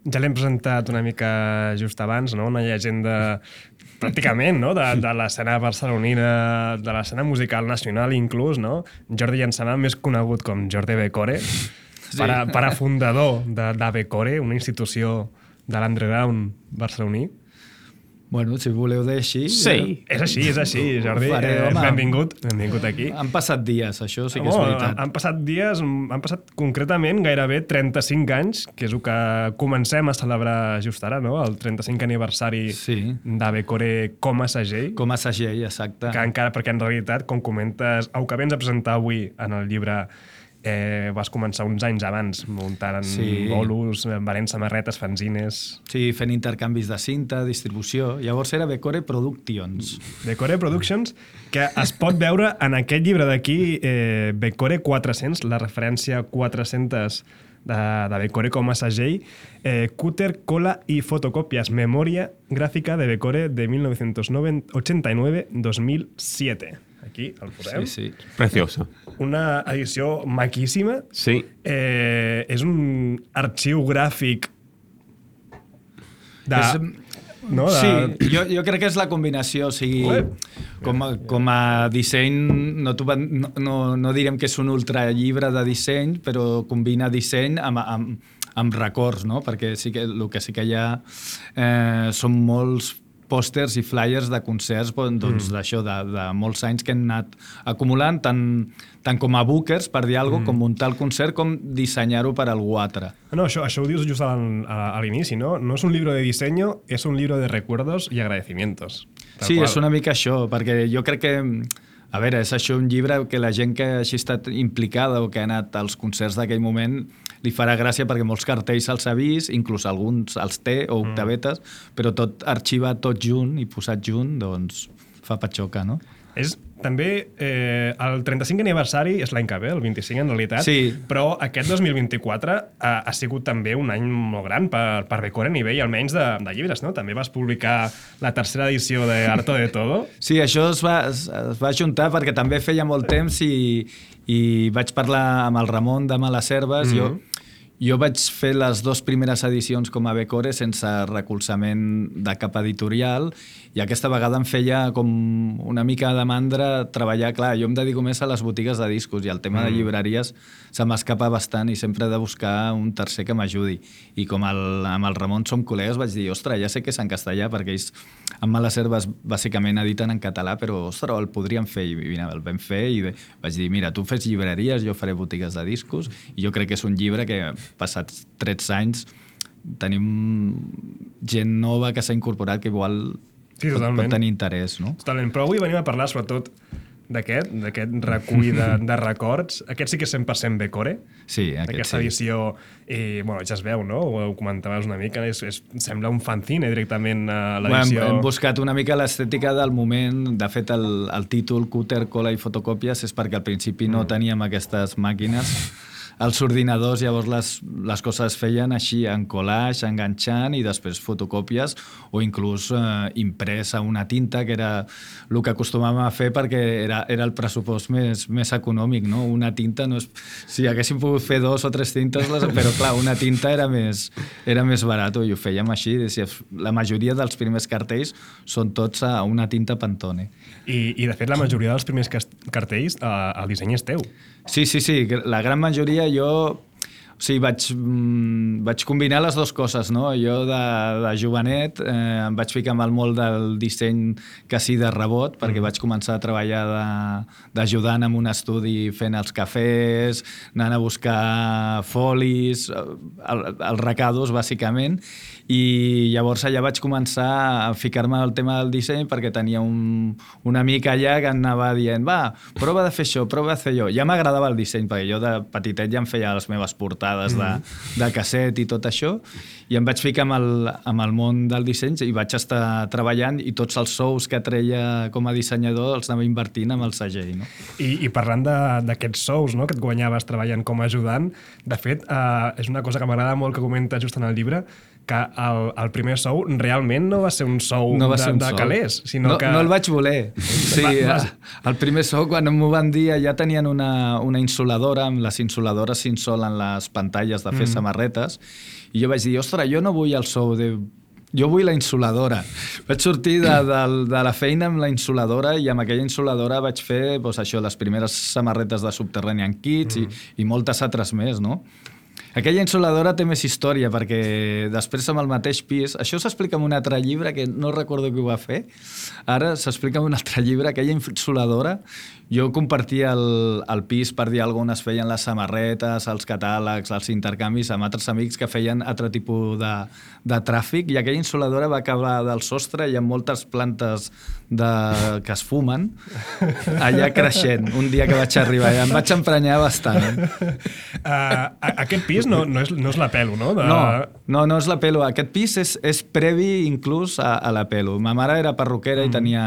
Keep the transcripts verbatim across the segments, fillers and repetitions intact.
ja l'hem presentat una mica just abans, no? Una llegenda pràcticament, no? De, de l'escena barcelonina, de l'escena musical nacional inclús, no? Jordi Llançana, més conegut com Jordi Becore, sí. para, para fundador de, de Becore, una institució de l'underground barceloní. Bueno, si voleu dir així... Sí, eh? és així, és així, Jordi. Faré, eh, benvingut, benvingut aquí. Han passat dies, això sí que és oh, veritat. Han passat dies, han passat concretament gairebé trenta-cinc anys, que és el que comencem a celebrar just ara, no? El trenta-cinquè aniversari sí. de Becore com a segell. Com a segell, exacte. Que encara, perquè en realitat, com comentes, el que vens a presentar avui en el llibre Eh, vas començar uns anys abans muntant sí. bolos, venent samarretes, fanzines... Sí, fent intercanvis de cinta, distribució... Llavors era Becore Productions. Becore Productions, que es pot veure en aquest llibre d'aquí, eh, Becore quatre-cents, la referència quatre-cents de, de Becore com a segell, eh, cúter, cola i fotocòpies, memòria gràfica de Becore de mil novecientos ochenta y nueve a dos mil siete. Aquí el posem. Sí, sí. Preciosa. Una edició maquíssima. Sí. Eh, és un arxiu gràfic de... És, no, de... Sí, jo, jo crec que és la combinació. O sigui, com a, com a disseny, no, no, no, no direm que és un ultrallibre de disseny, però combina disseny amb, amb, amb records, no? Perquè sí que, el que sí que hi ha eh, són molts pòsters i flyers de concerts doncs, mm. d'això, de, de molts anys que han anat acumulant, tant, tant com a bookers, per dir alguna cosa, mm. com muntar el concert, com dissenyar-ho per algú altre. No, això, això ho dius just a, a, a l'inici, no? No és un llibre de diseño, és un llibre de recuerdos i agradecimientos. Sí, qual. És una mica això, perquè jo crec que... A veure, és això un llibre que la gent que hagi estat implicada o que ha anat als concerts d'aquell moment li farà gràcia perquè molts cartells els ha vist, inclús alguns els té o octavetes, mm. però tot arxivat tot junt i posat junt, doncs fa patxoca, no? És també eh, el trenta-cinquè aniversari és l'any que ve, el vint-i-cinc en realitat, sí. però aquest dos mil vint-i-quatre ha, ha sigut també un any molt gran per, per Becore a nivell almenys de, de llibres, no? També vas publicar la tercera edició de Harto de Todo. Sí, això es va, es, es va juntar perquè també feia molt temps i, i vaig parlar amb el Ramon de Malaserves. Mm-hmm. Jo Jo vaig fer les dues primeres edicions com a Becore sense recolzament de cap editorial i aquesta vegada em feia com una mica de mandra treballar. Clar, jo em dedico més a les botigues de discos i el tema mm. de llibreries se m'escapa bastant i sempre he de buscar un tercer que m'ajudi. I com el, amb el Ramon som col·legues vaig dir, ostres, ja sé que és en castellà perquè ells en Malaserves bàsicament editen en català, però ostres, el podríem fer i mira, el vam fer i vaig dir, mira, tu fes llibreries, jo faré botigues de discos i jo crec que és un llibre que passats tretze anys tenim gent nova que s'ha incorporat que igual sí, pot, pot tenir interès, no? Totalment, però avui venim a parlar sobretot d'aquest, d'aquest recull de, de records. Aquest sí que és cent per cent Becore. Sí, aquest aquesta sí. edició, i, bueno, ja es veu, no? Ho comentaves una mica, és, és, sembla un fanzine directament a l'edició. Bueno, hem, hem buscat una mica l'estètica del moment. De fet, el, el títol Cúter, cola i fotocòpies és perquè al principi no mm. teníem aquestes màquines als ordinadors, llavors les, les coses es feien així, en collage, enganxant i després fotocòpies o inclús eh, imprès a una tinta, que era el que acostumàvem a fer perquè era, era el pressupost més, més econòmic, no? Una tinta no és... Si haguéssim pogut fer dos o tres tintes, les... però clar, una tinta era més, era més barat i ho fèiem així. La majoria dels primers cartells són tots a una tinta Pantone. I, i de fet la majoria dels primers cartells eh, el disseny és teu. Sí, sí, sí. La gran majoria jo... O sigui, vaig, mm, vaig combinar les dues coses, no? Jo de, de jovenet eh, em vaig ficar amb el molt del disseny quasi de rebot, perquè vaig començar a treballar d'ajudant en un estudi fent els cafès, anant a buscar folis, el, els recados, bàsicament, i llavors allà vaig començar a ficar-me al tema del disseny perquè tenia un, un amic allà que anava dient, va, prova de fer això, prova de fer allò. Ja m'agradava el disseny, perquè jo de petitet ja em feia les meves portades de, de casset i tot això, i em vaig ficar amb el, amb el món del disseny i vaig estar treballant i tots els sous que treia com a dissenyador els anava invertint amb el segell. No? I, i parlant d'aquests sous, no, que et guanyaves treballant com a ajudant, de fet, eh, és una cosa que m'agrada molt que comenta just en el llibre, que el, el primer sou realment no va ser un sou no va de, ser un de sou. calés, sinó no, que... No el vaig voler. Sí, Va, el primer sou, quan m'ho van dir, ja tenien una, una insuladora, amb les insuladores s'insolen les pantalles de fer mm. samarretes, i jo vaig dir, ostres, jo no vull el sou de... Jo vull la insuladora. Vaig sortir de, de, de la feina amb la insuladora i amb aquella insuladora vaig fer doncs, això, les primeres samarretes de Subterranean Kids mm. i, i moltes altres més, no? Aquella insuladora té més història perquè després amb el mateix pis... Això s'explica en un altre llibre que no recordo qui ho va fer. Ara s'explica en un altre llibre. Aquella insuladora, jo compartia el, el pis per dir alguna cosa, es feien les samarretes, els catàlegs, els intercanvis amb altres amics que feien altre tipus de, de tràfic i aquella insuladora va acabar del sostre i amb moltes plantes de, que es fumen allà creixent. Un dia que vaig arribar i em vaig emprenyar bastant. Uh, aquest pis no, no, és, no és la Pelo, no? De... No, no, no és la Pelo. Aquest pis és, és previ inclús a, a la Pelo. Ma mare era perruquera mm. i tenia,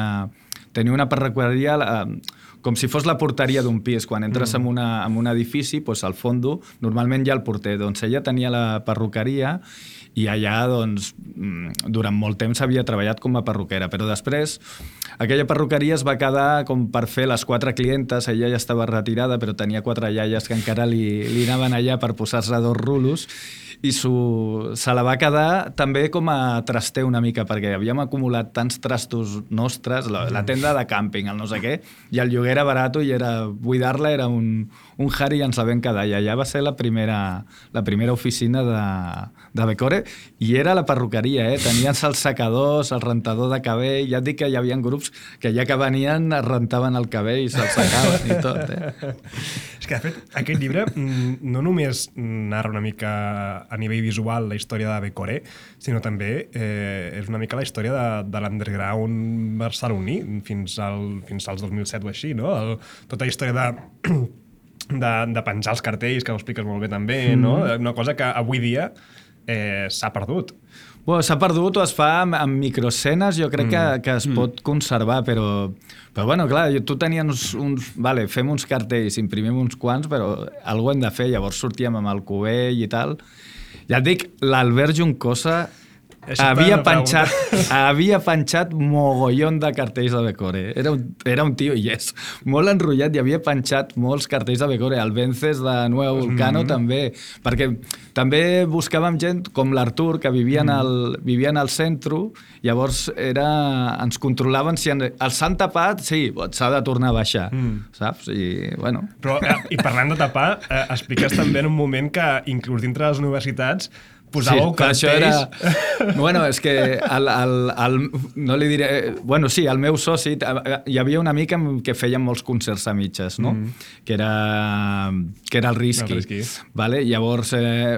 tenia una perruqueria eh, com si fos la porteria d'un pis. Quan entres mm. en, una, en un edifici, doncs, al fondo, normalment hi ha el porter. Doncs ella tenia la perruqueria i allà, doncs, durant molt temps havia treballat com a perruquera. Però després, aquella perruqueria es va quedar com per fer les quatre clientes. Ella ja estava retirada, però tenia quatre iaies que encara li, li anaven allà per posar-se dos rulos i su, se la va quedar també com a traster una mica, perquè havíem acumulat tants trastos nostres, la, la tenda de càmping, el no sé què, i el lloguer era barat i era buidar-la era un, un jari i ens la vam quedar. I allà va ser la primera, la primera oficina de, de Becore i era la perruqueria, eh? Tenien els secadors, el rentador de cabell, ja et dic que hi havia grups que ja que venien es rentaven el cabell i se'ls secaven i tot. Eh? És que, de fet, aquest llibre no només narra una mica a nivell visual la història de Becore, sinó també eh, és una mica la història de, de l'underground barceloní fins, al, fins als dos mil set o així, no? El, tota la història de, de, de penjar els cartells, que ho expliques molt bé també, mm. no? Una cosa que avui dia eh, s'ha perdut. Bueno, s'ha perdut o es fa amb, amb microescenes, jo crec mm. que, que es mm. pot conservar, però, però bueno, clar, tu tenies uns, uns... Vale, fem uns cartells, imprimim uns quants, però alguna hem de fer, llavors sortíem amb el cubell i tal. Ja et dic, l'Albert Juncosa havia penjat, havia penjat mogollon de cartells de Becore. Era un, era un tio, i és molt enrotllat, i havia penjat molts cartells de Becore. El Vences de Nuevo Vulcano mm-hmm. també, perquè també buscàvem gent com l'Artur, que vivia, mm. al, vivia al centre, llavors era, ens controlaven si en, el s'han tapat, sí, s'ha de tornar a baixar, mm. saps? I, bueno. Però, eh, i parlant de tapar, eh, expliques també en un moment que inclús dintre de les universitats posàveu sí, cartells... Era... Bueno, és que el, el, el, no li diré... Bueno, sí, el meu soci, hi havia una mica que feien molts concerts a mitges, no? Mm. Que, era, que era el Risky. El Risky. Vale? Llavors, eh,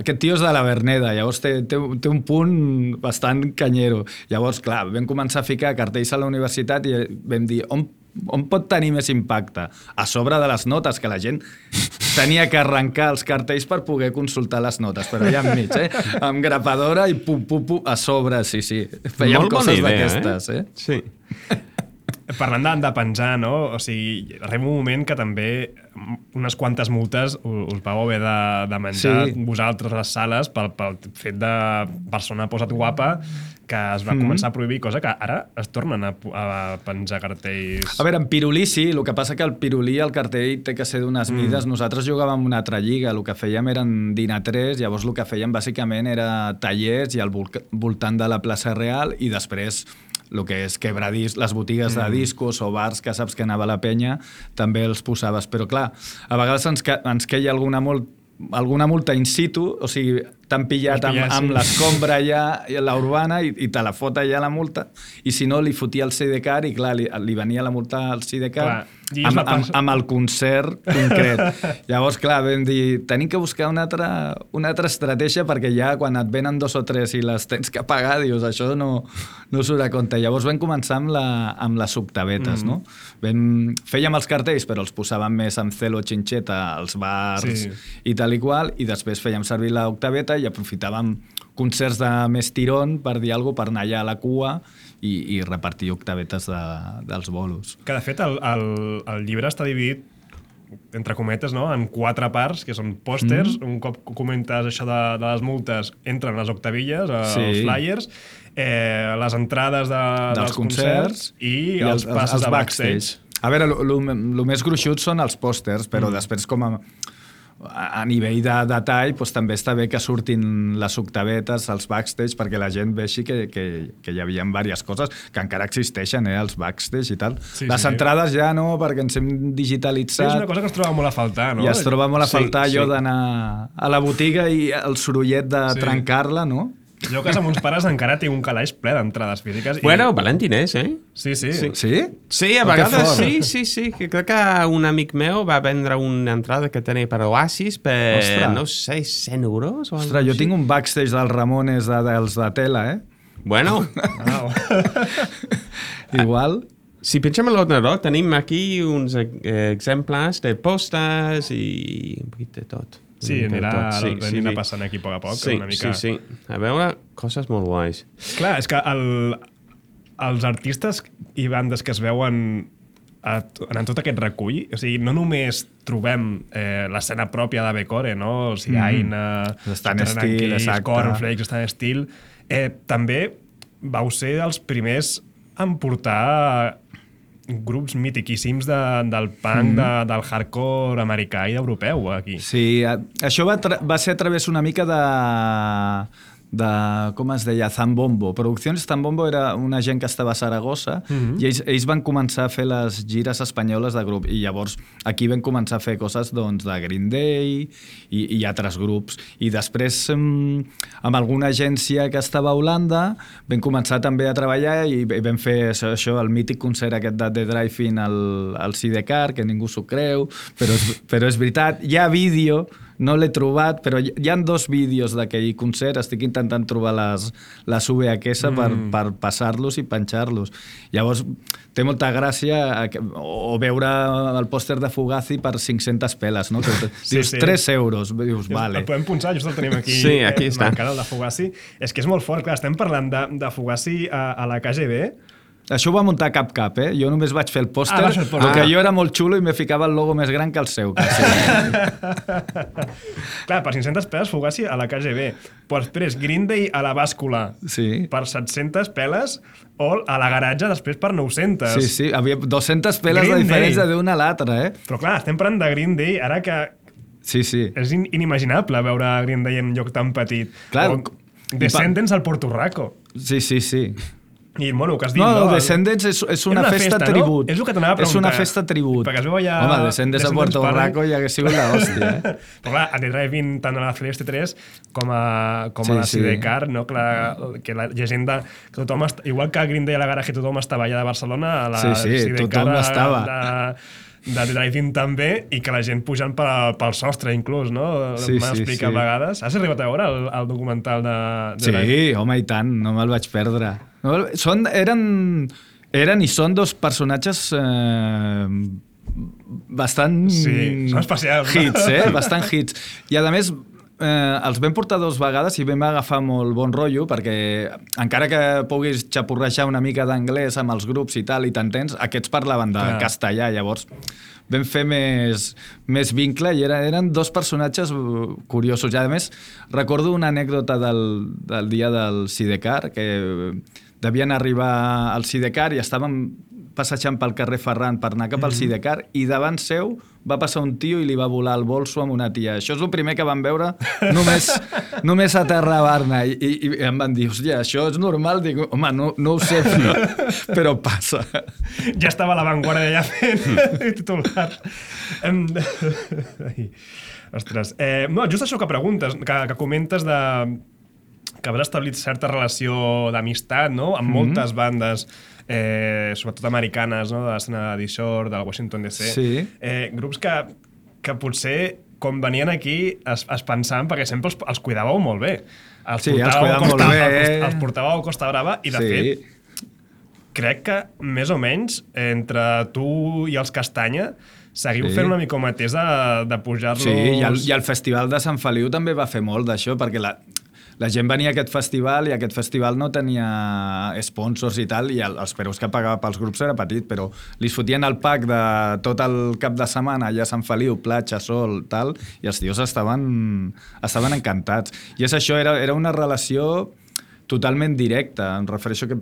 aquest tio és de la Verneda, llavors té, té, té un punt bastant canyero. Llavors, clar, vam començar a ficar cartells a la universitat i vam dir, on on pot tenir més impacte? A sobre de les notes, que la gent tenia que arrencar els cartells per poder consultar les notes, però allà enmig, eh? Amb grapadora i pum, pum, pum, a sobre, sí, sí. Fèiem molt coses idea, d'aquestes, eh? eh? Sí. Parlant de, de penjar, no? O sigui, arriba un moment que també unes quantes multes us vau haver de, de menjar sí. vosaltres a les sales pel, pel fet de persona posa't guapa, que es va mm. començar a prohibir, cosa que ara es tornen a, a penjar cartells. A veure, en pirulí sí, el que passa que el pirulí, el cartell té que ser d'unes mm. mides. Nosaltres jugàvem una altra lliga, el que fèiem eren dinatres, llavors el que fèiem bàsicament era tallers i al voltant de la plaça Real i després el que és quebradís, les botigues de discos o bars que saps que anava a la penya, també els posaves. Però clar, a vegades ens, ens queia alguna, molt, alguna multa in situ, o sigui, t'han pillat amb, amb l'escombra allà, la urbana, i, i te la fot allà la multa, i si no, li fotia el Sidecar, i clar, li, li venia la multa al Sidecar amb, amb, amb el concert concret. Llavors, clar, vam dir, tenim que buscar una altra, una altra estratègia, perquè ja quan et venen dos o tres i les tens que pagar, dius, això no, no surt a compte. Llavors vam començar amb, la, amb les octavetes, mm. no? Vam, fèiem els cartells, però els posàvem més amb celo xinxeta als bars sí. i tal i qual, i després fèiem servir l'octaveta i aprofitàvem concerts de més tirón per dir alguna cosa, per anar allà a la cua i, i repartir octavetes de, dels bolos. Que, de fet, el, el, el llibre està dividit entre cometes, no? En quatre parts, que són pòsters, mm. un cop comentes això de, de les multes, entren les octavilles, sí. els flyers, eh, les entrades de, dels, dels concerts, concerts i, i els, els passes els, els de backstage. backstage. A veure, el més gruixut són els pòsters, però mm. després com a... a nivell de detall doncs, també està bé que surtin les octavetes, els backstage, perquè la gent vegi que, que, que hi havia diverses coses que encara existeixen, eh, els backstage i tal. Sí, les sí, entrades sí. ja no, perquè ens hem digitalitzat. Sí, és una cosa que es troba molt a faltar, no? I es troba molt a faltar sí, allò sí. d'anar a la botiga i el sorollet de sí. trencar-la, no? Jo a casa amb uns pares encara tinc un calaix ple d'entrades físiques. Bueno, i... valentiners, eh? Sí, sí. Sí? Sí, sí a vegades sí, sí, sí. Que crec que un amic meu va vendre una entrada que tenia per Oasis per, Ostres. no sé, cent euros o Ostres, jo tinc un backstage dels Ramones de, dels de tela, eh? Bueno. Igual... Si pensem en l'ordinador, tenim aquí uns eh, exemples de postes i un poquit de tot. Sí, anirà, sí, sí, anirà sí. passant aquí a poc a poc. Sí, una mica... sí, sí. A veure, coses molt guais. Clar, és que el, els artistes i bandes que es veuen a, en tot aquest recull, o sigui, no només trobem eh, l'escena pròpia de Becore, no? O sigui, mm. Aina, Stan Steel, Cornflakes, Stan Steel, eh, també vau ser els primers en portar grups mitiquíssims de, del punk, mm. de, del hardcore americà i europeu aquí. Sí, això va, va ser a través una mica de, de com es deia, Zambombo. Produccions Zambombo era una gent que estava a Saragossa mm-hmm. i ells, ells van començar a fer les gires espanyoles de grup i llavors aquí vam començar a fer coses doncs, de Green Day i, i altres grups. I després amb alguna agència que estava a Holanda vam començar també a treballar i vam fer això, això el mític concert aquest de The Drive-In al, al Sidecar, que ningú s'ho creu, però és, però és veritat. Hi ha vídeo, no l'he trobat, però hi ha dos vídeos d'aquell concert, estic intentant trobar les, les V H S mm. per, per passar-los i penjar-los. Llavors, té molta gràcia o veure el pòster de Fugazi per cinc-centes peles, no? Que sí, dius, sí. tres euros, dius, vale. El podem punxar, just el tenim aquí. Sí, aquí eh, està. Encara el de Fugazi. És que és molt fort, clar, estem parlant de, de Fugazi a, a la K G B. Això ho va muntar Cap Cap, eh? Jo només vaig fer el pòster, ah, perquè ah. jo era molt xulo i me ficava el logo més gran que el seu. Clar, per cinc-centes peles Fugazi a la K G B. Però després Green Day a la bàscula sí. per set-centes peles o a la garatge després per nou-centes. Sí, sí, havia dues-centes peles Green de diferència d'una a l'altra, eh? Però clar, estem parlant de Green Day ara que... Sí, sí. És inimaginable veure Green Day en un lloc tan petit. Clar. O Descendents al Porto Rico. Sí, sí, sí. I, bueno, que has dit, no, no? Descendents és, és una, una festa, festa tribut. No? És el que t'anava a preguntar. És una festa tribut. Perquè es veu allà... Home, Descendents a Puerto Rico ja hagués sigut l'hòstia, eh? Però clar, a The Drive-In, tant a la Celeste tres com a, com sí, a la Sidecar, sí. no? que, la, que la llegenda... Que tothom est... Igual que a Green Day a la Garage tothom estava allà de Barcelona, a la sí, sí, Sidecar tothom estava. De, de The Drive-In també, i que la gent pujant pel, pel sostre, inclús, no? Sí, M'ha sí, explicat sí. a vegades. Has arribat a veure el, el documental de, de Sí, Drive-In? Home, i tant, no me'l vaig perdre. No, són, eren, eren i són dos personatges eh, bastant sí, són especials. hits, eh? bastant hits. I a més, eh, els vam portar dues vegades i vam agafar molt bon rotllo perquè encara que puguis xapurrejar una mica d'anglès amb els grups i tal i t'entens, aquests parlaven de Clar. castellà, llavors vam fer més, més vincle i eren, eren dos personatges curiosos. I a més, recordo una anècdota del, del dia del Sidecar, que devien arribar al Sidecar i estàvem passejant pel carrer Ferran per anar cap al Sidecar i davant seu va passar un tio i li va volar el bolso amb una tia. Això és el primer que vam veure només, només a terra a Barna. I, i, i em van dir, hòstia, això és normal? Dic, home, no, no ho sé, però, però passa. Ja estava a l'avantguarda ja fent titular. Ostres. Eh, no, just això que preguntes, que, que comentes de... que has establit certa relació d'amistat, no?, amb mm-hmm. moltes bandes, eh, sobretot americanes, no?, de l'escena de Dishore, del Washington D C. Sí. Eh, grups que, que potser, quan venien aquí, es, es pensaven, perquè sempre els, els cuidàveu molt bé. Els sí, els cuidàveu molt bé. Els, els portàveu a Costa Brava i, de sí. fet, crec que, més o menys, entre tu i els Castanya, seguiu sí. fent una mica mateix de, de pujar-los... Sí, i el, i el Festival de Sant Feliu també va fer molt d'això, perquè la... la gent venia a aquest festival i aquest festival no tenia sponsors i tal, i el, els preus que pagava pels grups era petit, però li fotien el pack de tot el cap de setmana allà a Sant Feliu, platja, sol, tal, i els tios estaven, estaven encantats. I és això, era, era una relació totalment directa. Em refereixo que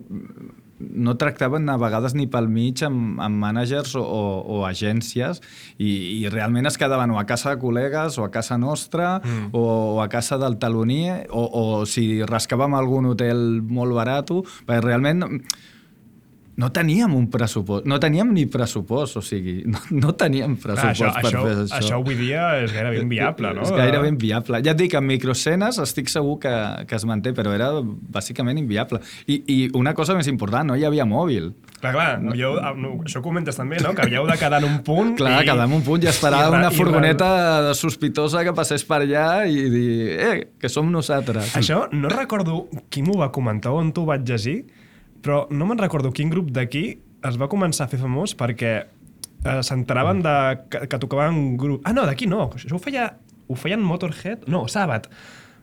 no tractaven a vegades ni pel mig amb, amb mànagers o, o, o agències i, i realment es quedaven o a casa de col·legues o a casa nostra mm. o, o a casa del taloner o, o si rascàvem algun hotel molt barat, perquè realment no teníem un pressupost, no teníem ni pressupost, o sigui, no, no teníem pressupost Clar, això, per això, fer això. Això avui dia és gairebé inviable, no? És gairebé inviable. Ja et dic, en microescenes estic segur que, que es manté, però era bàsicament inviable. I, I una cosa més important, no hi havia mòbil. Clar, clar, no, jo, no, això ho comentes també, no? Que havíeu de quedar en un punt... Clar, i... quedar en un punt i esperar i, una i, furgoneta i, sospitosa que passés per allà i dir, eh, que som nosaltres. Això no recordo qui m'ho va comentar o on t'ho vaig llegir, però no me'n recordo quin grup d'aquí es va començar a fer famós perquè eh, s'enteraven de, que, que tocaven un grup... Ah, no, d'aquí no. Això ho, feia, ho feien Motorhead? No, Sabbath.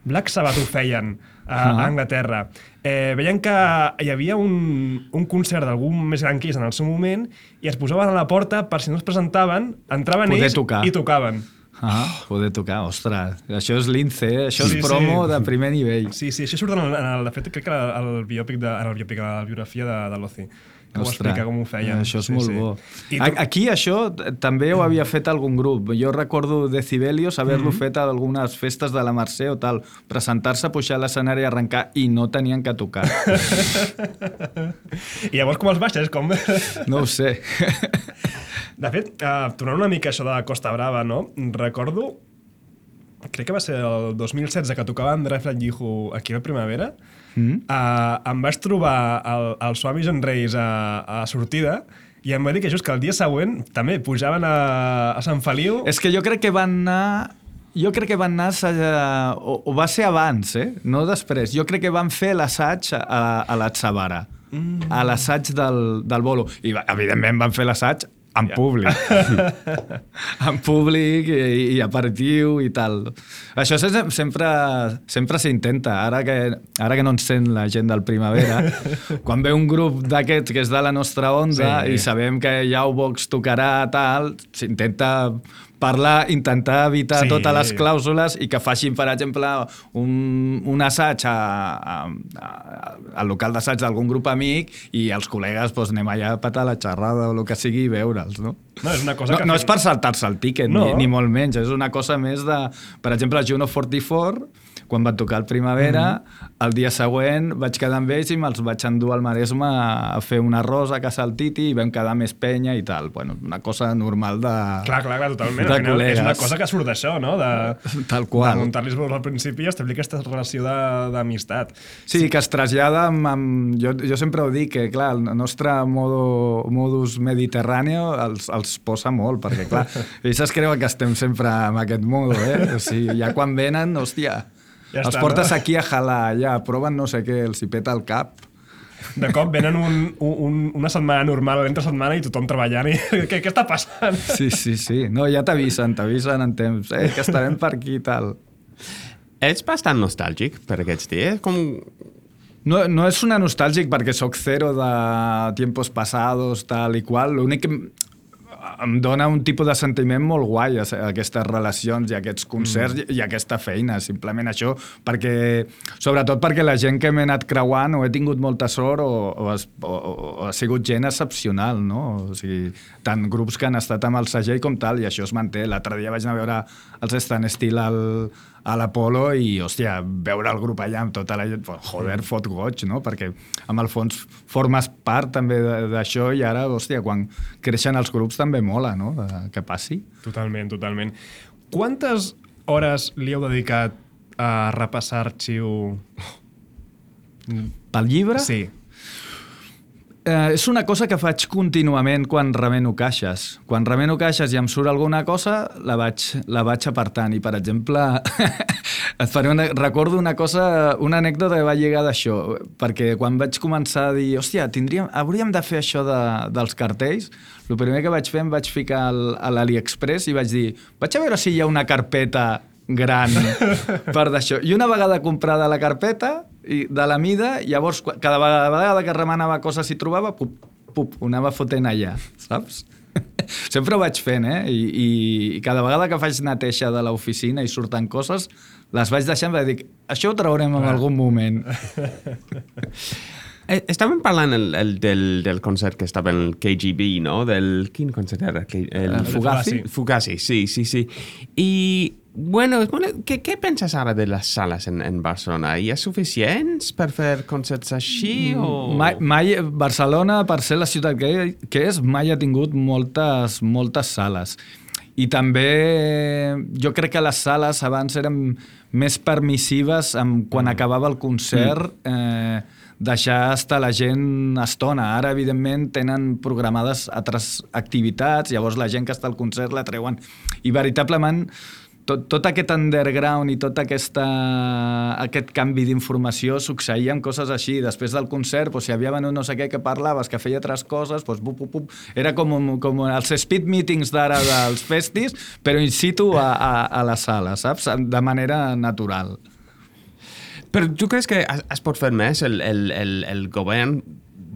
Black Sabbath ho feien a, ah. a Anglaterra. Eh, veien que hi havia un, un concert d'algun més gran que ells en el seu moment i es posaven a la porta per si no es presentaven, entraven Poder ells tocar. i tocaven. Ah, poder tocar, ostres. Això és lince, eh? Això sí, és promo sí. de primer nivell. Sí, sí, això surt en el, en el, de fet, crec que el biòpic de, en el biòpic, la biografia de, de l'Ozzy. Que ho explica com ho feien. Això és sí, molt sí. bo. I tu... Aquí això també ho havia fet algun grup. Jo recordo Decibelios haver-lo mm -hmm. fet a algunes festes de la Mercè o tal. Presentar-se, pujar a l'escenari i arrencar i no tenien que tocar. I llavors com els baixes? Com... No ho sé. De fet, uh, tornant una mica a això de la Costa Brava, no? Recordo, crec que va ser el dos mil setze que tocava André Flatjihu aquí a la Primavera, mm. uh, em vaig trobar el, el Swami John Reis a, a sortida i em va dir que just que el dia següent també pujaven a, a Sant Feliu. És que jo crec que van anar... Jo crec que van anar... A, o, o va ser abans, eh? No després. Jo crec que van fer l'assaig a, a l'Atzavara, mm. a l'assaig del, del bolo. I evidentment van fer l'assaig en yeah. públic. En públic i, i aperitiu i tal. Això sempre, sempre s'intenta. Ara que, ara que no ens sent la gent del Primavera, quan ve un grup d'aquests que és de la nostra onda sí. i sabem que Jaubox tocarà tal, s'intenta parlar, intentar evitar sí. totes les clàusules i que facin, per exemple, un, un assaig a, a, a, al local d'assaig d'algun grup amic i els col·legues doncs, anem allà a patar la xerrada o el que sigui i veure'ls, no? No, és una cosa no, que... no és per saltar-se el tíquet, no. ni, ni molt menys. És una cosa més de... Per exemple, el Juno quaranta-quatre, quan van tocar el Primavera, mm-hmm. el dia següent vaig quedar amb ells i me'ls vaig endur al Maresme a fer un arròs a casa del Titi i vam quedar més penya i tal. Bueno, una cosa normal de... Clar, clar, clar totalment. De col·legues. És una cosa que surt d'això, no? De, tal qual. De muntar-los al principi i establir aquesta relació d'amistat. Sí, sí, que es trasllada amb... amb jo, jo sempre ho dic, que clar, el nostre modo, modus mediterrani els, els posa molt, perquè clar, ells es creuen que estem sempre amb aquest modo, eh? O sigui, ja quan venen, hòstia, ja els està, portes no? Aquí a jalar, ja, proven no sé què, els hi peta el cap. De cop venen un, un, una setmana normal, l'entre setmana i tothom treballant i què, què està passant? Sí, sí, sí. No, ja t'avisen, t'avisen en temps. Eh, que estarem per aquí i tal. Ets bastant nostàlgic per aquests dies? Com... No, no és una nostàlgic perquè sóc zero de tiempos pasados, tal i qual. L'únic que em dona un tipus de sentiment molt guai aquestes relacions i aquests concerts mm. i aquesta feina, simplement això, perquè, sobretot perquè la gent que m'he anat creuant o he tingut molta sort o, o, es, o, o ha sigut gent excepcional, no? O sigui, tant grups que han estat amb el segell com tal, i això es manté. L'altre dia vaig anar a veure els Stan Still al, a l'Apolo i, hòstia, veure el grup allà amb tota la gent, joder, fot goig, no? Perquè, amb el fons, formes part també d'això i ara, hòstia, quan creixen els grups també mola, no? Que passi. Totalment, totalment. Quantes hores li heu dedicat a repassar arxiu? Pel llibre? Sí. Eh, és una cosa que faig contínuament quan remeno caixes. Quan remeno caixes i em surt alguna cosa, la vaig, la vaig apartant. I, per exemple, et faré una, recordo una cosa, una anècdota que va lligar d'això, perquè quan vaig començar a dir, hòstia, tindríem, hauríem de fer això de, dels cartells, el primer que vaig fer em vaig ficar al, a l'AliExpress i vaig dir, vaig a veure si hi ha una carpeta gran per d'això. I una vegada comprada la carpeta, i de la mida, llavors cada vegada que remenava coses i trobava, pup, pup, ho anava fotent allà, saps? Sempre ho vaig fent, eh? I, i cada vegada que faig neteja de l'oficina i surten coses, les vaig deixant i dic, això ho traurem en algun moment. Eh, estàvem parlant el, el, del, del concert que estava en el K G B, no? Del, quin concert era? El, el Fugazi? Fugazi, sí, sí, sí. I, bueno, què, què penses ara de les sales en, en Barcelona? Hi ha suficients per fer concerts així? O... Mai, mai, Barcelona, per ser la ciutat que, que és, mai ha tingut moltes, moltes sales. I també jo crec que les sales abans eren més permissives amb, quan mm. acabava el concert, eh, deixar estar la gent estona. Ara, evidentment, tenen programades altres activitats, llavors la gent que està al concert la treuen. I veritablement, tot, tot aquest underground i tot aquesta, aquest canvi d'informació succeïa amb coses així. Després del concert, doncs, si havia venut no sé què que parlaves, que feia altres coses, doncs, bup, bup, bup. Era com, com els speed meetings d'ara dels festis, però in situ a, a, a la sala, saps? De manera natural. Però tu creus que es pot fer més el, el, el, el govern,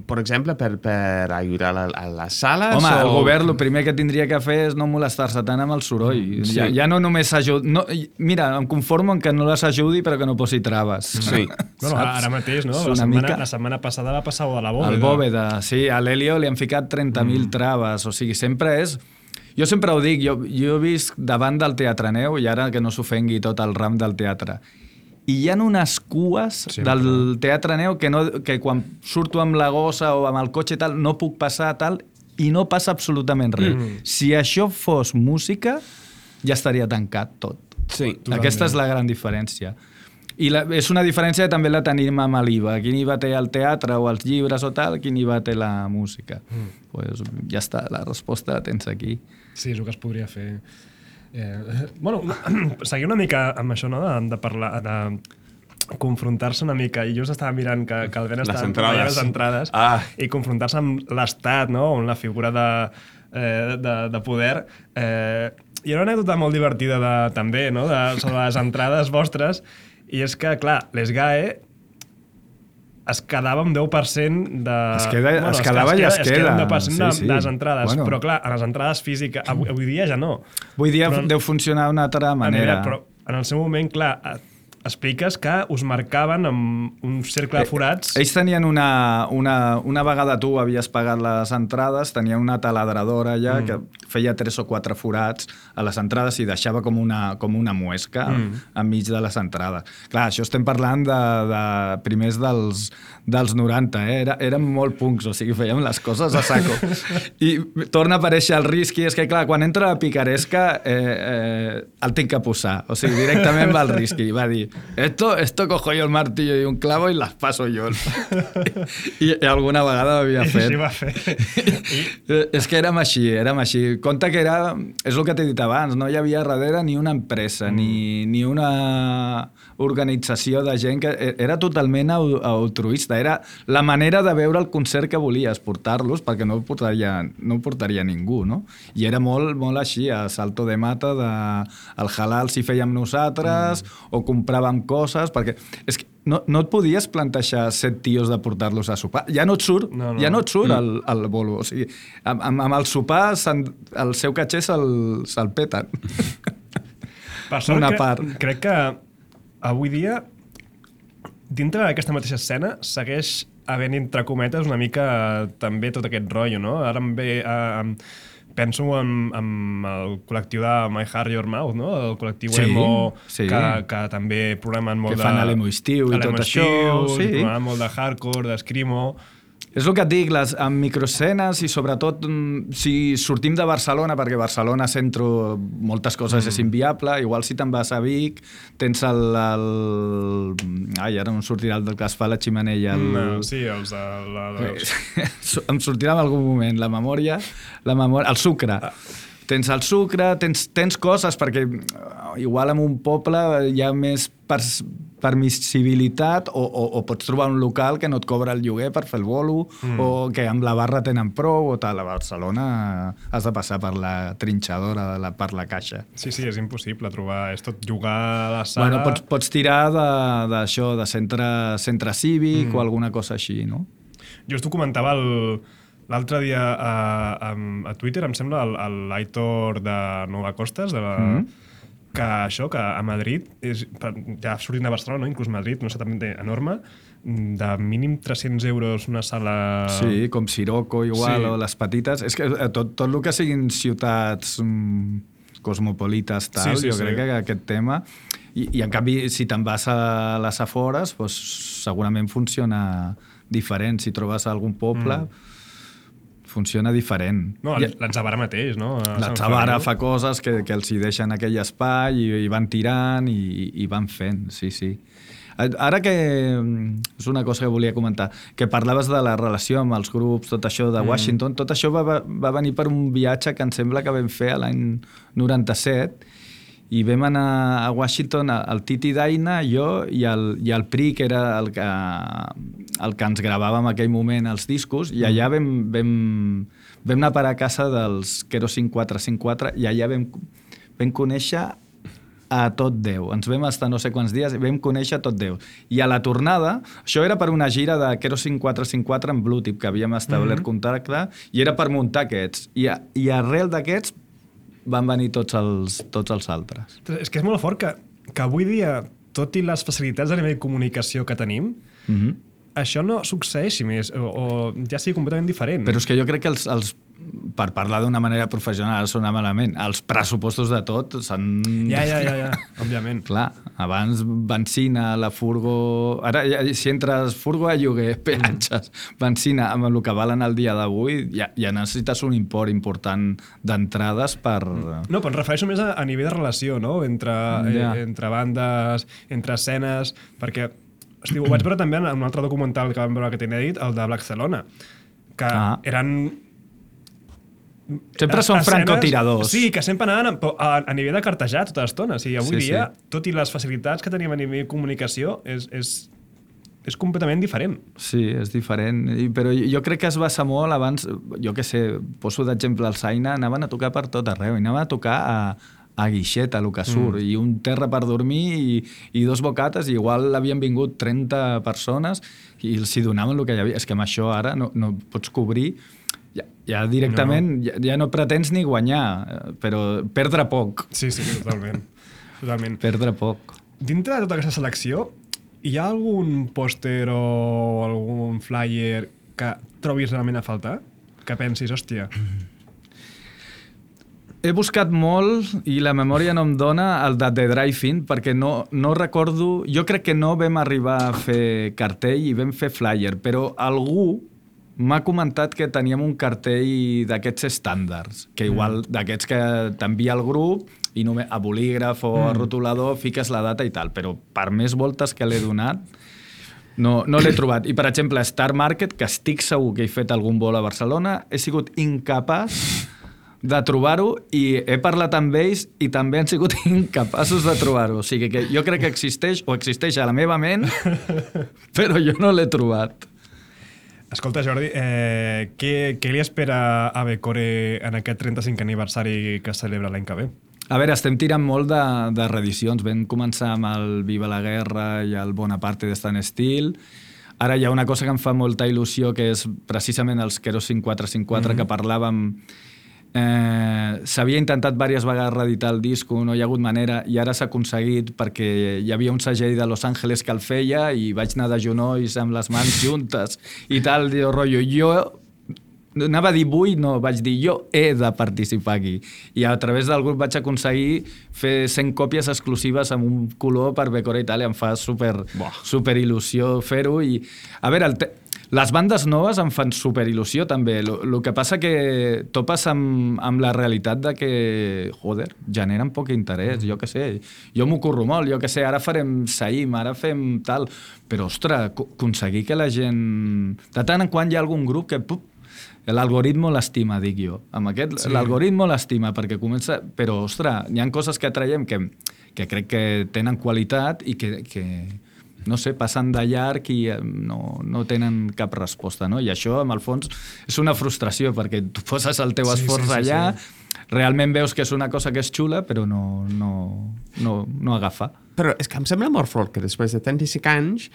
per exemple, per, per ajudar a, a les sales? Home, o... el govern el primer que tindria que fer és no molestar-se tant amb el soroll. Sí. Ja, ja no només s'ajuda... No, mira, em conformo en que no les ajudi però que no posi traves. Sí. Bueno, ara mateix, no? La setmana, mica... la setmana passada va passar de la Bòveda. El Bòveda, sí. A l'Helio li han ficat trenta mil mm. traves. O sigui, sempre és... Jo sempre ho dic, jo, jo he vist davant del Teatre Neu, i ara que no s'ofengui tot el ram del teatre, i hi ha unes cues sempre. Del Teatre Neu que, no, que quan surto amb la gossa o amb el cotxe i tal, no puc passar tal, i no passa absolutament res. Mm. Si això fos música, ja estaria tancat tot. Sí, aquesta és la gran diferència. I la, és una diferència que també la tenim amb l'IVA. Quin IVA té el teatre o els llibres o tal, quin IVA té la música. Mm. Pues ja està, la resposta la tens aquí. Sí, és el que es podria fer. Eh, bueno, seguir una mica amb això, no? De, de parlar, de confrontar-se una mica. I just estava mirant que, que el Ben estava veient les entrades ah. i confrontar-se amb l'Estat, no? On la figura de, eh, de, de poder. Eh, hi ha una anècdota molt divertida de, també, no? De, sobre les entrades vostres, i és que, clar, les G A E es quedava amb deu per cent de... Es, queda, bueno, es quedava i es queda. Es queda amb deu per cent sí, de, sí. de les entrades. Bueno. Però, clar, a les entrades físiques, avui, avui dia ja no. Avui dia però, deu funcionar d'una altra manera. Però en el seu moment, clar, expliques que us marcaven amb un cercle de forats. Eh, ells tenien una, una... Una vegada tu havies pagat les entrades, tenien una taladradora allà mm. que feia tres o quatre forats a les entrades i deixava com una, com una muesca mm. enmig de les entrades. Clar, això estem parlant de, de primers dels, dels noranta, eh? Era, érem molt punks, o sigui, fèiem les coses a saco. I torna a aparèixer el risc, i és que, clar, quan entra la picaresca eh, eh, el tinc que posar. O sigui, directament va el risc i va dir Esto, esto cojo yo el martillo y un clavo y las paso yo. I, i alguna vegada ho havia fet. I així va fer. És que érem així, érem així. Compte que era, és el que t'he dit abans, no hi havia darrere ni una empresa, mm. ni, ni una organització de gent que era totalment altruista. Era la manera de veure el concert que volies, portar-los, perquè no ho portaria, no ho portaria ningú, no? I era molt, molt així, a salto de mata, de, el halal si fèiem nosaltres, mm. o compràvem coses, perquè és que no, no et podies plantejar set tios de portar-los a sopar. Ja no et surt, no, no. Ja no et surt el, el bolo. O sigui, amb, amb el sopar el seu catxer se'l, se'l peten. Per sort, una part. Que, crec que avui dia, dintre d'aquesta mateixa escena, segueix havent, entre cometes, una mica també tot aquest rotllo, no? Ara em ve... Uh, penso en, en el col·lectiu de My Heart Your Mouth, no? El col·lectiu sí, emo, sí. Que, que també programen molt que de... Que fan a l'emo estiu i tot això. Sí. Programen molt de hardcore, d'escrimo... És el que et dic, les, amb microescenes i sobretot si sortim de Barcelona, perquè Barcelona centro moltes coses mm. és inviable, igual si te'n vas a Vic, tens el... el... Ai, ara no em sortirà el del que es fa la ximenella. El... No, sí, els de... La, els... em sortirà en algun moment la memòria, la memòria el sucre. Ah. tens el sucre, tens, tens coses, perquè igual en un poble hi ha més pers permissibilitat o, o, o pots trobar un local que no et cobra el lloguer per fer el bolo mm. o que amb la barra tenen prou o tal. A Barcelona has de passar per la trinxadora, de la, per la caixa. Sí, sí, és impossible trobar... És tot jugar a la sala... Bueno, pots, pots tirar d'això, de, de centre, centre cívic mm. o alguna cosa així, no? Jo t'ho comentava l'altre dia a, a, a Twitter, em sembla, l'Aitor de Nova Costas, de la... Mm. que això, que a Madrid, és, ja sortint de Barcelona, no? Inclús Madrid, no sé, també enorme, de mínim tres-cents euros una sala... Sí, com Sirocco igual, sí. o les petites. És que tot, tot el que siguin ciutats mm, cosmopolites, tal, sí, sí, jo sí. crec que aquest tema... I, i en canvi, si te'n vas a les afores, doncs, segurament funciona diferent. Si trobes algun poble... Mm. funciona diferent. No, l'Atzavara mateix, no? L'Atzavara fa coses que, que els hi deixen aquell espai i, i van tirant i, i van fent, sí, sí. Ara que... És una cosa que volia comentar, que parlaves de la relació amb els grups, tot això de Washington, mm. tot això va, va venir per un viatge que em sembla que vam fer l'any noranta-set, i vam anar a Washington, el Titi Daina, jo i el, i el Pri, que era el que, el que ens gravava en aquell moment els discos, i allà vam, vam, vam anar a parar a casa dels Kero cinc quatre cinc quatre i allà vam, vam conèixer a tot Déu. Ens vam estar no sé quants dies i vam conèixer a tot Déu. I a la tornada, això era per una gira de Kero cinc quatre cinc quatre en Blue Tip, que havíem establert mm-hmm. contacte, i era per muntar aquests. I, a, i arrel d'aquests van venir tots els, tots els altres. És que és molt fort que, que avui dia, tot i les facilitats a nivell de comunicació que tenim, mm-hmm. això no succeeixi més, o, o ja sigui completament diferent. Però és que jo crec que els, els per parlar d'una manera professional, sona malament, els pressupostos de tot s'han... Ja, ja, ja, ja, òbviament. Clar, abans benzina, la furgo... Ara, si entres furgo a lloguer, peatges, benzina, amb el que valen el dia d'avui, ja, ja necessites un import important d'entrades per... No, però em refereixo més a, a nivell de relació, no? Entre, ja. eh, entre bandes, entre escenes, perquè... Hosti, ho vaig veure també en un altre documental que vam veure que tenia dit, el de Barcelona, que ah. eren... Sempre són francotiradors. Sí, que sempre anaven a, a, a nivell de cartejar tota l'estona. O sigui, avui sí, dia, sí. tot i les facilitats que tenim a nivell de comunicació, és, és, és completament diferent. Sí, és diferent. I, però jo crec que es basa molt abans... Jo què sé, poso d'exemple el Saina, anaven a tocar per tot arreu. I anaven a tocar a, a Guixeta, el que surt, mm. i un terra per dormir i, i dos bocates, i igual havien vingut trenta persones i els hi donaven el que hi havia. És que amb això ara no, no pots cobrir... Ja, ja directament no. Ja, ja no pretens ni guanyar, però perdre poc. Sí, sí, totalment. totalment. Perdre poc. Dintre de tota aquesta selecció, hi ha algun pòster o algun flyer que trobis realment a faltar? Que pensis, hòstia... He buscat molt i la memòria no em dona el de The Drive-In perquè no, no recordo... Jo crec que no vam arribar a fer cartell i vam fer flyer, però algú m'ha comentat que teníem un cartell d'aquests estàndards, que igual mm. d'aquests que t'envia el grup i només a bolígraf o mm. a rotulador fiques la data i tal, però per més voltes que l'he donat no, no l'he trobat. I, per exemple, Star Market, que estic segur que he fet algun vol a Barcelona, he sigut incapaç de trobar-ho i he parlat amb ells i també han sigut incapaços de trobar-ho. O sigui que jo crec que existeix o existeix a la meva ment, però jo no l'he trobat. Escolta, Jordi, eh, què, què li espera a Becore en aquest trenta-cinquè aniversari que es celebra l'any que ve? A veure, estem tirant molt de, de reedicions. Vam començar amb el Viva la Guerra i el Bonaparte de Stan Steel. Ara hi ha una cosa que em fa molta il·lusió, que és precisament els Kero cinc quatre cinc quatre, mm-hmm. que parlàvem... Eh, s'havia intentat diverses vegades reeditar el disco, no hi ha hagut manera, i ara s'ha aconseguit perquè hi havia un segell de Los Angeles que el feia i vaig anar de genolls amb les mans juntes i tal, jo, rotllo, jo anava a dir vull, no, vaig dir jo he de participar aquí, i a través del grup vaig aconseguir fer cent còpies exclusives amb un color per Becore Italia. Em fa super, super il·lusió fer-ho i, a veure, el te les bandes noves em fan superil·lusió també. El que passa que topes amb, amb la realitat de que, joder, generen poc interès, jo què sé. Jo m'ho curro molt, jo què sé, ara farem Saïm, ara fem tal... Però, ostres, aconseguir que la gent... De tant en quant hi ha algun grup que... Pup, l'algoritmo l'estima, dic jo. Amb aquest, sí. L'algoritmo l'estima, perquè comença... Però, ostres, hi ha coses que traiem que, que crec que tenen qualitat i que, que no sé, passen de llarg i no, no tenen cap resposta, no? I això, en el fons, és una frustració, perquè tu poses el teu esforç sí, sí, sí, allà, sí. Realment veus que és una cosa que és xula, però no, no, no, no agafa. Però és que em sembla molt fort que després de trenta-cinc anys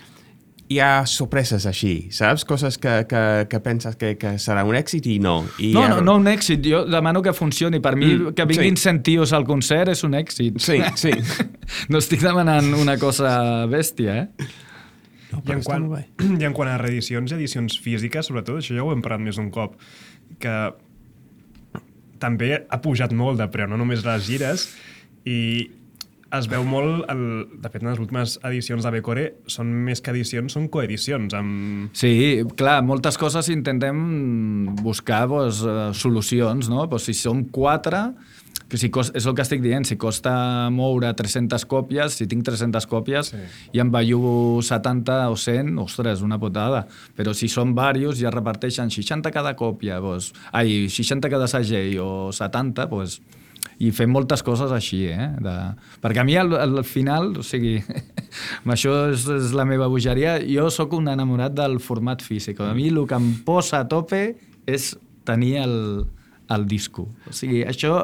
hi ha sorpreses així, saps? Coses que, que, que penses que, que serà un èxit i no. I no, ha... no, no un èxit. Jo demano que funcioni. Per mi, mm, que vinguin sí. cent tios al concert és un èxit. Sí, sí. No estic demanant una cosa bèstia, eh? No, I, en quant, I en quant a reedicions i edicions físiques, sobretot, això ja ho hem parlat més d'un cop, que també ha pujat molt de preu, no només les gires, i es veu molt, el, de fet, en les últimes edicions de Becore són més que edicions, són coedicions. Amb... Sí, clar, moltes coses intentem buscar pues, solucions, no? Pues, si som quatre, que si costa, és el que estic dient, si costa moure tres-centes còpies, si tinc tres-centes còpies sí. I en bellugo setanta o cent, ostres, una putada. Però si són diversos i es reparteixen seixanta cada còpia, pues, ai, seixanta cada segell o setanta, doncs... Pues, i fem moltes coses així, eh? De... Perquè a mi al, al final, o sigui, això és, és la meva bogeria, jo sóc un enamorat del format físic. A mi el que em posa a tope és tenir el, el disco. O sigui, això...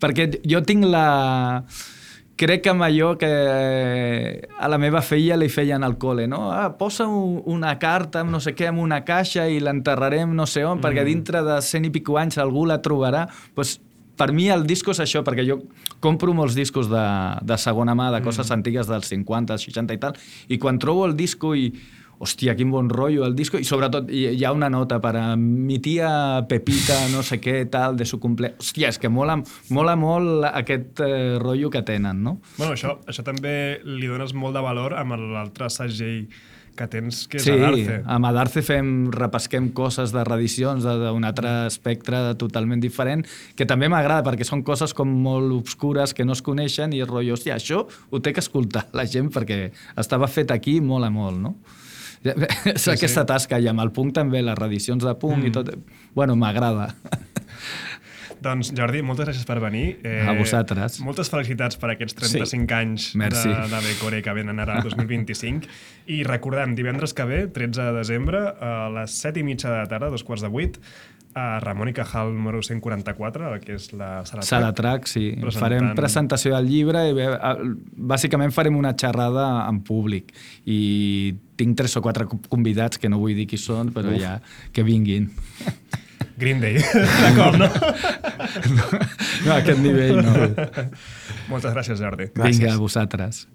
Perquè jo tinc la... Crec que amb allò que a la meva filla li feien al col·le, no? Ah, posa una carta amb no sé què, amb una caixa i l'enterrarem no sé on, mm. perquè dintre de cent i pico anys algú la trobarà. Pues, per mi el disco és això, perquè jo compro molts discos de, de segona mà, de coses mm. antigues dels cinquanta, seixanta i tal, i quan trobo el disco i... Hòstia, quin bon rotllo el disco, i sobretot hi ha una nota per a mi tia Pepita, no sé què, tal, de su cumple... Hòstia, és que mola, mola molt aquest eh, rotllo que tenen, no? Bueno, això, això també li dones molt de valor amb l'altre segell que tens, que és sí, Adarce. Sí, amb Adarce fem, repesquem coses de reedicions d'un altre espectre totalment diferent, que també m'agrada, perquè són coses com molt obscures que no es coneixen i el rotllo, hòstia, això ho té que escoltar la gent perquè estava fet aquí, mola molt, no? És sí, aquesta sí. tasca, i amb el punk també, les reedicions de punk mm. i tot... Bueno, m'agrada. Doncs, Jordi, moltes gràcies per venir. Eh, a vosaltres. Moltes felicitats per aquests trenta-cinc sí. anys Merci. de, de Becore que venen ara dos mil vint-i-cinc. I recordem, divendres que ve, tretze de desembre, a les set i mitja de la tarda, dos quarts de vuit, a Ramon i Cajal número cent quaranta-quatre, que és la Sala Trac. Sala Trac, sí. Presentant... Farem presentació del llibre i bàsicament farem una xerrada en públic. I tinc tres o quatre convidats que no vull dir qui són, però Uf. ja que vinguin. Green Day, d'acord, no? no? No, a aquest nivell no. Moltes gràcies, Jordi. Vinga, a vosaltres.